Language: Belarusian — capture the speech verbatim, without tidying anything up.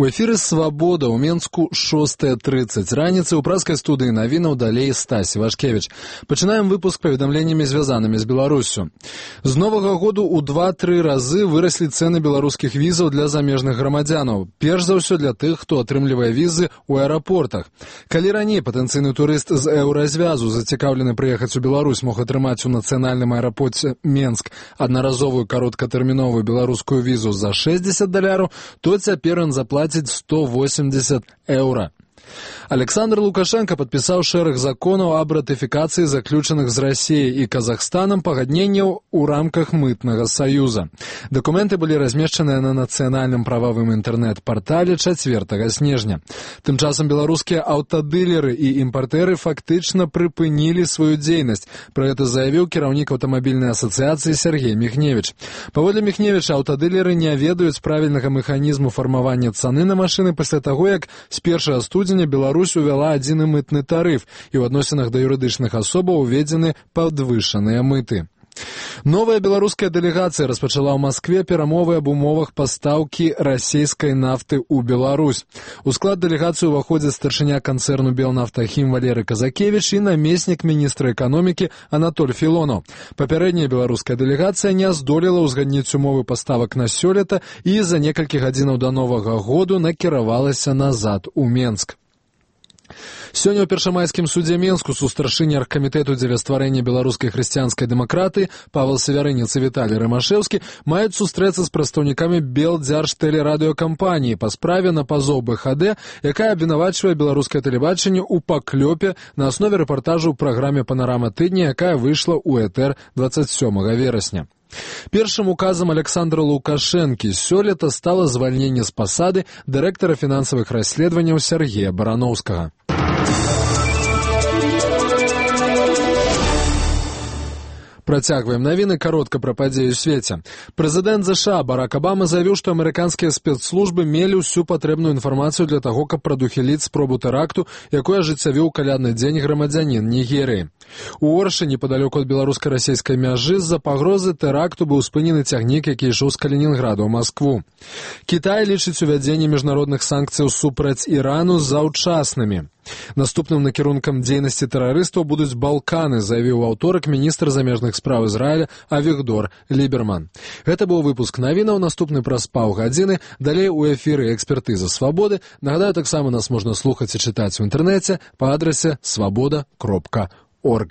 У эфіры «Свабода» ў Менску шостая тридцать раніцы ў праскай студыі навінаў далей Стась Івашкевіч. Пачынаем выпуск паведамленнямі, звязанымі з Беларуссю. З новага году ў два-тры разы выраслі цэны беларускіх візаў для замежных грамадзянаў. Перш за ўсё для тых, хто атрымлівае візы ў аэрапортах. Калі раней патэнцыйны турыст з еўразвязу, зацікаўлены прыехаць у Беларусь, мог атрымаць у нацыянальным аэрапорце Менск аднаразовую кароткатэрміновую беларускую візу за шэсцьдзесят даляраў, то цяпер ён заплаціць сто восемьдесят еўра. Александр Лукашенко падпісаў шэраг законаў аб ратыфікацыі заключаных з Расіяй і Казахстанам пагадненняў у рамках мытнага саюза. Дакументы былі размешчаныя на нацыянальным прававым інтэрнэт-партале чацвёртага снежня. Тым часам беларускія аўтадылеры і імпартэры фактычна прыпынілі сваю дзейнасць. Пра гэта заявіў кіраўнік аўтамабільнай асацыяцыі Сергей Міхневіч. Паводле Міхневіча, аўтадылеры не ведаюць правільнага механізму фармавання цаны на машыны пасля таго, як з першага студзеня Беларусь увяла адзіны мытны тарыф, і ў адносінах да юрыдычных асобаў уведзены падвышаныя мыты. Новая беларуская дэлегацыя распачала ў Маскве перамовы аб умовах пастаўкі расійскай нафты ў Беларусь. У склад дэлегацыі ўваходзяць старшыня канцэрну «Белнафтахім» Валерый Казакевіч і намеснік міністра эканомікі Анатоль Філонаў. Папярэдняя беларуская дэлегацыя не здолела ўзгадніць умовы паставак на сёлета і за некалькі гадзінаў да новага году накіравалася назад у Менск. Сёння ў першамайскім судзе Менску сустаршыні аргкамітэту дзеля стварэння беларускай хрысціянскай дэмакратыі Павел Севярынец і Віталій Рымашэўскі маюць сустрэцца з прадстаўнікамі Белдзяржтэлерадыёкампаніі па справе на пазоў бэ ха дэ, якая абвінавачвае беларускае тэлебачанне ў паклёпе на аснове рэпартажу ў праграме «Панарама тыдня», якая выйшла ў этэр дваццаць сёмага верасня. Першым указам Александра Лукашэнкі сёлета стала звальненне з пасады дырэктара фінансавых расследаванняў Сергея Бараноўскага. Працягваем навіны каротка пра падзеі ў свеце. Прэзідэнт ЗША Барак Абама заявіў, што амерыканскія спецслужбы мелі ўсю патрэбную інфармацыю для таго, каб прадухіліць спробу тэракту, якую ажыццявіў калядны дзень грамадзянін Нігерыі. У Оршы, непадалёку ад беларуска-расійскай мяжы, з-за пагрозы тэракту быў спынены цягнік, які ішоў з Калінінграду ў Маскву. Кітай лічыць увядзенне міжнародных санкцыяў супраць Ірану заўчаснымі. Наступным накірункам дзейнасці тэрарыстаў будуць Балканы, заявіў у аўторак міністр замежных спраў Ізраіля Авігдор Ліберман. Гэта быў выпуск навінаў, наступны праз паўгадзіны. Далей у эфіры «Экспертыза Свабоды». Нагадаю, таксама нас можна слухаць і чытаць у інтэрнэце па адрасе свабода кропка орг.